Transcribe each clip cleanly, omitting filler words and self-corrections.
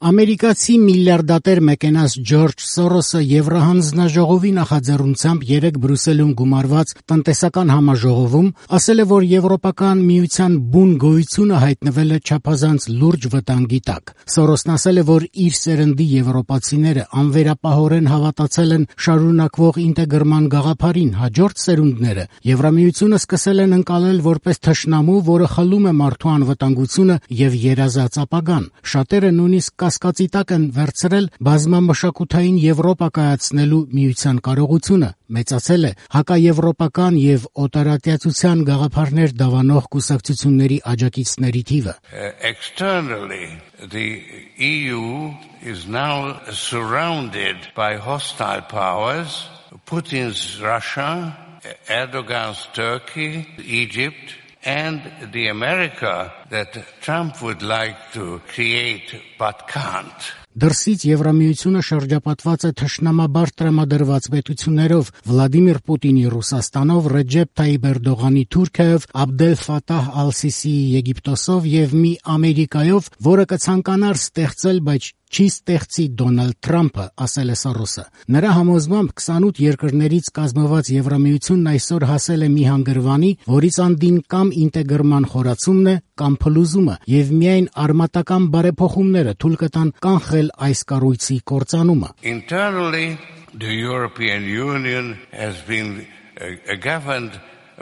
Ամերիկացի միլիարդատեր մեկենաս Ջորջ Սորոսը Եվրահանձնաժողովի նախաձեռնությամբ երեկ Բրյուսելում գումարված տնտեսական համաժողովում ասել է, որ Եվրոպական միության բուն գոյությունը հայտնվել է չափազանց լուրջ վտանգի տակ։ Սորոսն ասել է, որ իր սերնդի եվրոպացիները անվերապահորեն հավատացել են շարունակվող ինտեգրման գաղափարին, հաջորդ սերունդները Եվրամիությունը սկսել են ընկալել որպես թշնամու, որը խլում է մարդու անվտանգությունը եւ երազած ապագան։ Շատերը նույնիսկ կասկածի տակ են վերցրել բազմամշակութային Եվրոպա կայացնելու միության կարողությունը, մեծացել է հակաեվրոպական եւ օտարատյացության գաղափարներ դավանող կուսակցությունների աջակիցների թիվը։ Externally, the EU is now surrounded by hostile powers, Putin's Russia, Erdogan's Turkey, Egypt, and the America that Trump would like to create but can't. Դրսից Եվրամիությունը շրջապատված է թշնամաբար տրամադրված պետություններով՝ Վլադիմիր Պուտինի Ռուսաստանով, Ռեջեփ Թայիպ Էրդողանի Թուրքիայով, Աբդել Ֆաթահ Ալ-Սիսիի Եգիպտոսով եւ մի Ամերիկայով, որը կցանկանար ստեղծել, բայց չի ստեղծի Դոնալդ Թրամփը, ասել է Սորոսը։ Նրա համոզմամբ 28 երկրներից կազմված Եվրամիությունն այսօր հասել է մի հանգրվանի, որից անդին կամ ինտեգրման խորացումն է, կամ փլուզումը, եւ միայն արմատական բարեփոխումները թույլ կտան կանխել այս կառույցի կործանումը։ Internally, the European Union has been governed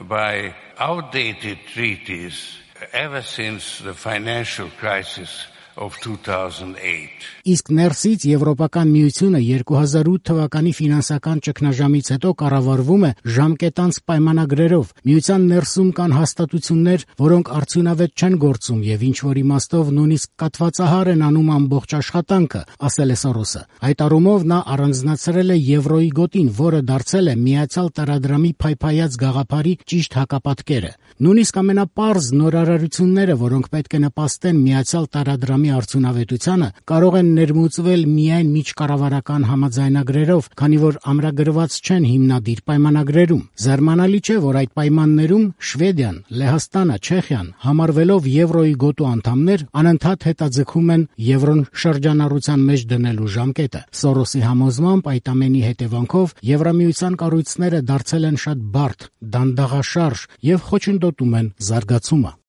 by outdated treaties ever since the financial crisis of 2008. Իսկ ներսից Եվրոպական միությունը 2008 թվականի ֆինանսական ճգնաժամից հետո կառավարվում է ժամկետանց պայմանագրերով։ Միության ներսում կան հաստատություններ, որոնք արդյունավետ չեն գործում եւ ինչ որ իմաստով նույնիսկ կատվածահար են անում ամբողջ աշխատանքը, ասել է Սորոսը։ Այդ առումով նա առանձնացրել է եվրոյի գոտին, որը դարձել է միացյալ տարադրամի փայփայած գաղափարի ճիշտ հակապատկերը։ Նույնիսկ ամենապարզ նորարարությունները, որոնք պետք է նպաստեն միացյալ տարադրամի արդյունավետությանը, կարող են ներմուծվել միայն միջկառավարական համաձայնագրերով, քանի որ ամրագրված չեն հիմնադիր պայմանագրերում։ Զարմանալի չէ, որ այդ պայմաններում Շվեդիան, Լեհաստանը, Չեխիան, համարվելով եվրոյի գոտու անդամներ, անընդհատ հետաձգում են եվրոն շրջանառության մեջ դնելու ժամկետը։ Սորոսի համոզմամբ այդ ամենի հետևանքով Եվրամիության կառույցները դարձել են շատ բարդ, դանդաղաշարժ եւ խոչընդոտում են զարգացումը։